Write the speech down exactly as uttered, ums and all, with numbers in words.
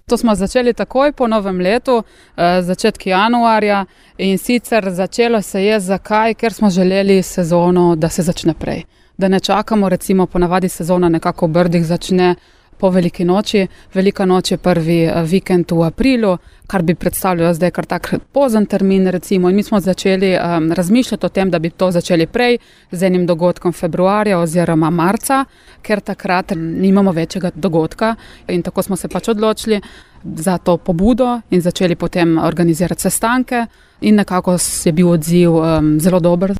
To smo začeli takoj po novem letu, začetki januarja, in sicer začelo se je zakaj, ker smo želeli sezono, da se začne prej. Da ne čakamo, recimo ponavadi sezona nekako v Brdih začne po Veliki noči. Velika noč je prvi vikend v aprilu, kar bi predstavljalo zdaj kar tak pozen termin recimo, in mi smo začeli um, razmišljati o tem, da bi to začeli prej z enim dogodkom februarja oziroma marca, ker takrat nimamo večjega dogodka, in tako smo se pač odločili za to pobudo in začeli potem organizirati sestanke, in nekako je bil odziv um, zelo dober.